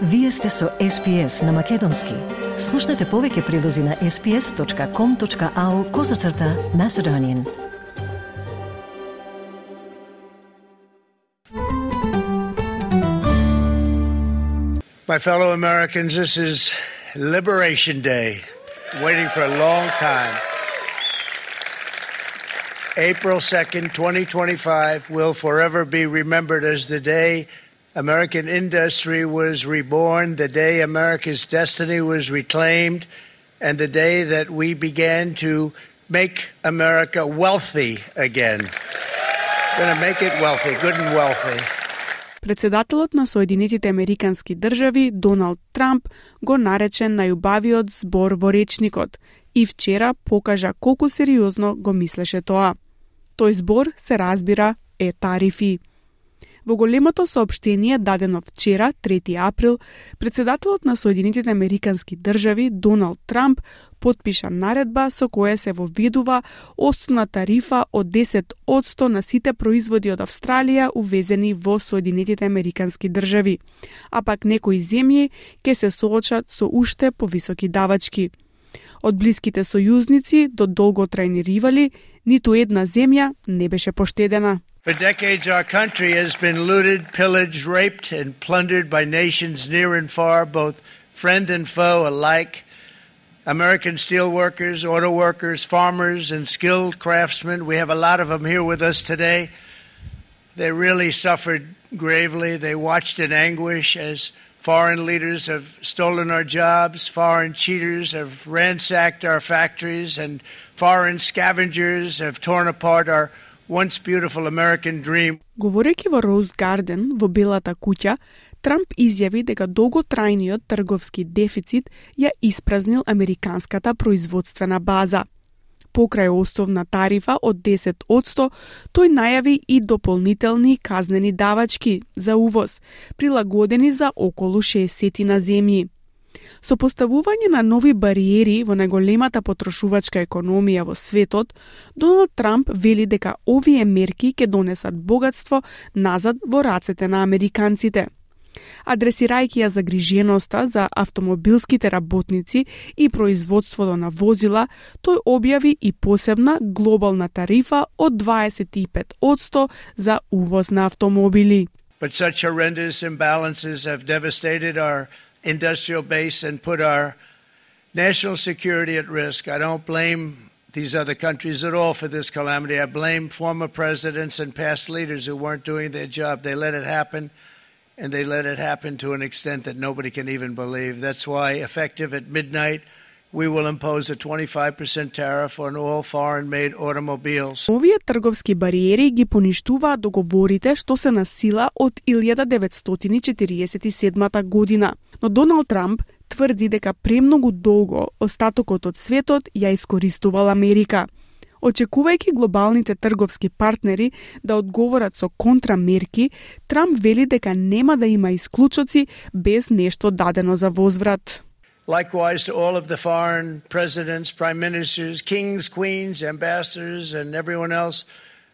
Вие сте со SPS на Македонски. Слушнете повеќе прилози на sps.com.au/Macedonian. My fellow Americans, this is Liberation Day, waiting for a long time. April 2nd, 2025 will forever be remembered as the day American industry was reborn, the day America's destiny was reclaimed, and the day that we began to make America wealthy again. We're going to make it wealthy, good and wealthy. Председателот на Соединетите Американски држави Доналд Трамп го нарече најубавиот збор во речникот и вчера покажа колку сериозно го мислеше тоа. Тој збор се разбира е тарифи. Во големото соопштение дадено вчера, 3 април, председателот на Соединетите Американски држави Доналд Трамп потпиша наредба со која се воведува основна тарифа од 10% на сите производи од Австралија увезени во Соединетите Американски држави, а пак некои земји ќе се соочат со уште повисоки давачки. Од блиските сојузници до долготрајни ривали, ниту една земја не беше поштедена. For decades, our country has been looted, pillaged, raped, and plundered by nations near and far, both friend and foe alike. American steel workers, auto workers, farmers, and skilled craftsmen. We have a lot of them here with us today. They really suffered gravely. They watched in anguish as foreign leaders have stolen our jobs, foreign cheaters have ransacked our factories, and foreign scavengers have torn apart our once beautiful American dream. Говорејќи во Роуз Гарден во Белата куќа, Трамп изјави дека долготрајниот трговски дефицит ја испразнил американската производствена база. Покрај основна тарифа од 10%, тој најави и дополнителни казнени давачки за увоз, прилагодени за околу 60 на земји. Со поставување на нови бариери во најголемата потрошувачка економија во светот, Доналд Трамп вели дека овие мерки ќе донесат богатство назад во рацете на американците. Адресирајќи ја загриженоста за автомобилските работници и производството на возила, тој објави и посебна глобална тарифа од 25% за увоз на автомобили. But such horrendous imbalances have devastated our industrial base and put our national security at risk. I don't blame these other countries at all for this calamity. I blame former presidents and past leaders who weren't doing their job. They let it happen, and they let it happen to an extent that nobody can even believe. That's why, effective at midnight, we will impose a 25% tariff on all foreign-made automobiles. Овие трговски бариери ги поништуваат договорите што се на сила од 1947 година. Но Доналд Трамп тврди дека премногу долго остатокот од светот ја искористувал Америка. Очекувајќи глобалните трговски партнери да одговорат со контрамерки, Трамп вели дека нема да има исклучоци без нешто дадено за возврат. Likewise to all of the foreign presidents, prime ministers, kings, queens, ambassadors, and everyone else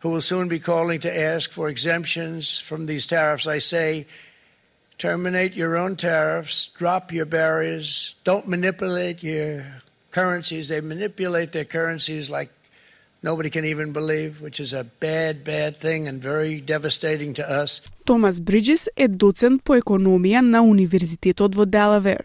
who will soon be calling to ask for exemptions from these tariffs, I say, terminate your own tariffs, drop your barriers, don't manipulate your currencies. They manipulate their currencies like nobody can even believe, which is a bad, bad thing and very devastating to us. Томас Бриджис е доцент по економија на Универзитетот во Делавер.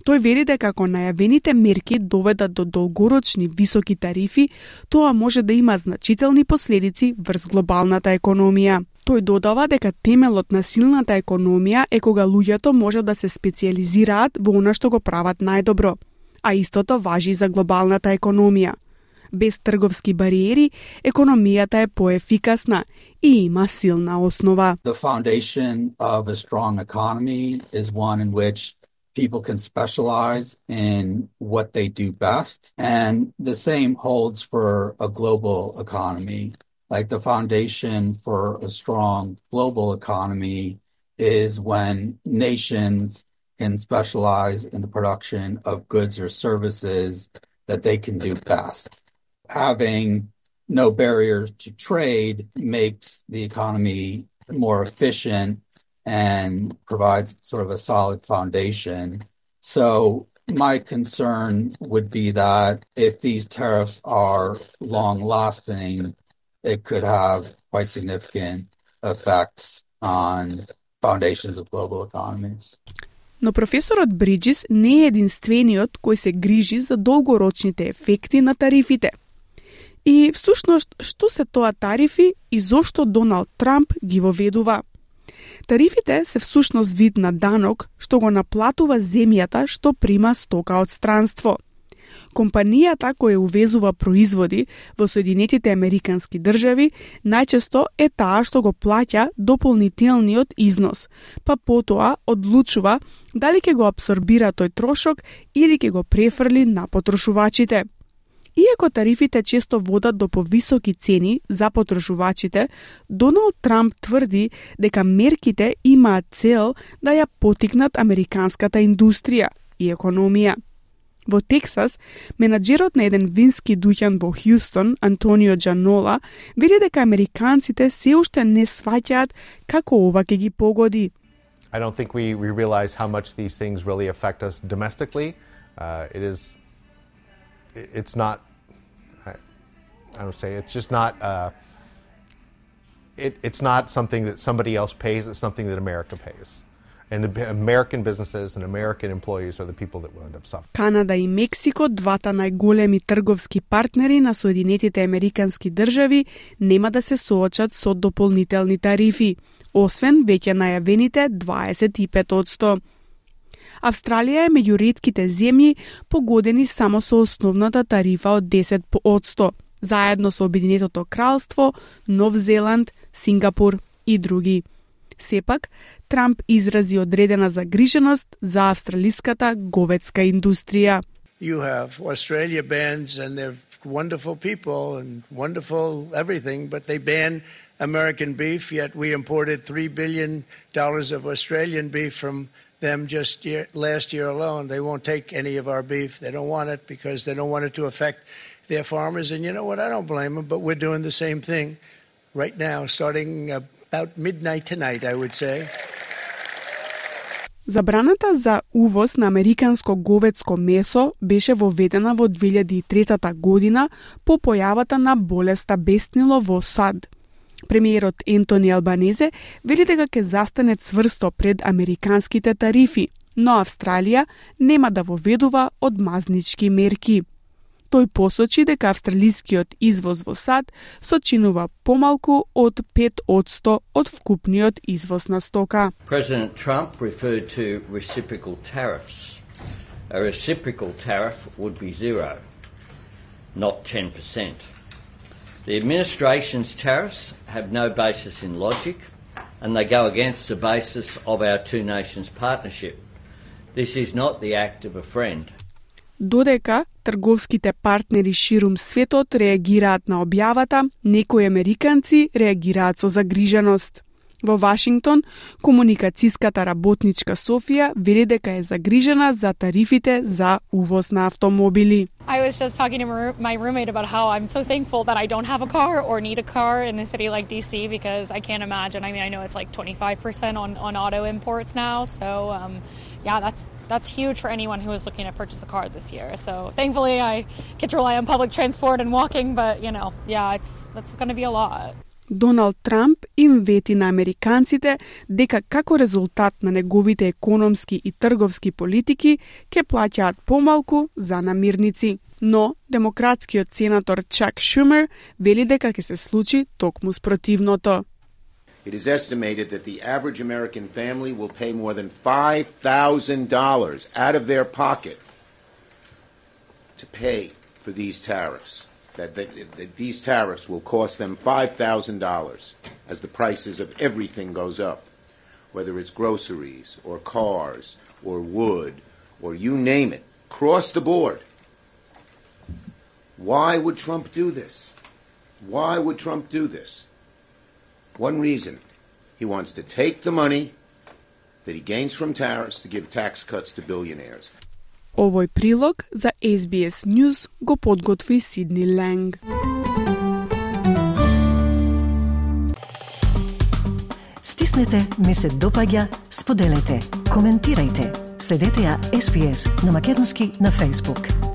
Тој вери дека ако најавените мерки доведат до долгорочни високи тарифи, тоа може да има значителни последици врз глобалната економија. Тој додава дека темелот на силната економија е кога луѓето може да се специализираат во она што го прават најдобро, а истото важи за глобалната економија. Без трговски бариери, економијата е поефикасна и има силна основа. The foundation of a strong economy is one in which people can specialize in what they do best. And the same holds for a global economy. Like the foundation for a strong global economy is when nations can specialize in the production of goods or services that they can do best. Having no barriers to trade makes the economy more efficient and provides sort of a solid foundation. So my concern would be that if these tariffs are long-lasting, it could have quite significant effects on foundations of global economies. Но професорот Бриджис не е единствениот кој се грижи за долгорочните ефекти на тарифите. И всушност, што се тоа тарифи и зошто Доналд Трамп ги воведува? Тарифите се всушност вид на данок што го наплатува земјата што прима стока од странство. Компанијата која увезува производи во Соединетите Американски држави најчесто е таа што го плаќа дополнителниот износ, па потоа одлучува дали ќе го апсорбира тој трошок или ќе го префрли на потрошувачите. Иако тарифите често водат до повисоки цени за потрошувачите, Доналд Трамп тврди дека мерките имаат цел да ја поттикнат американската индустрија и економија. Во Тексас, менаџерот на еден вински дуќан во Хјустон, Антонио Джанола, вели дека американците се уште не сваќаат како ова ќе ги погоди. I don't think we realize how much these things really affect us domestically. It's not, I don't say, it's just not, it's not something that somebody else pays, it's something that America pays. And American businesses and American employees are the people that will end up suffering. Канада и Мексико, двата најголеми трговски партнери на Соединетите Американски држави, нема да се соочат со дополнителни тарифи, освен веќе најавените 25%. Австралија е меѓу ретките земји погодени само со основната тарифа од 10%, заедно со Обединетото кралство, Нов Зеланд, Сингапур и други. Сепак, Трамп изрази одредена загриженост за австралиската говедска индустрија. You have Australia bans and they're wonderful people and wonderful everything, but they ban American beef, yet we imported $3 billion of Australian beef from them just last year alone. They won't take any of our beef. They don't want it because they don't want it to affect their farmers. And you know what? I don't blame them, but we're doing the same thing right now, starting about midnight tonight, I would say. Забраната за увоз на американско говедско месо беше воведена во 2003 година по појавата на болеста беснило во САД. Премиерот Ентони Албанезе вели дека ќе застане цврсто пред американските тарифи, но Австралија нема да воведува одмазнички мерки. Тој посочи дека австралискиот извоз во САД сочинува помалку од 5% од вкупниот извоз на стока. President Trump referred to reciprocal tariffs. A reciprocal tariff would be 0, not 10%. The administration's tariffs have no basis in logic, and they go against the basis of our two nations partnership. This is not the act of a friend. Додека трговските партнери ширум светот реагираат на објавата, некои американци реагираат со загриженост. Во Вашингтон, комуникацијската работничка Софија вели дека е загрижена за тарифите за увоз на автомобили. I was just talking to my roommate about how I'm so thankful that I don't have a car or need a car in a city like DC because I can't imagine. I mean, I know it's like 25% on auto imports now, so yeah, that's huge for anyone who is looking to purchase a car this year. So thankfully I get to rely on public transport and walking, but you know, yeah, it's going to be a lot. Доналд Трамп им вети на американците дека како резултат на неговите економски и трговски политики ќе плаќаат помалку за намирници. Но демократскиот сенатор Чак Шумер вели дека ќе се случи токму спротивното. It is estimated that the average American family will pay more than $5,000 out of their pocket to pay for these tariffs. That these tariffs will cost them $5,000 as the prices of everything goes up, whether it's groceries or cars or wood or you name it, across the board. Why would Trump do this? Why would Trump do this? One reason. He wants to take the money that he gains from tariffs to give tax cuts to billionaires. Овој прилог за SBS News го подготви Сидни Ланг. Кликнете ми се допаѓа, споделете, коментирајте. Следете ја SPS на Македонски на Facebook.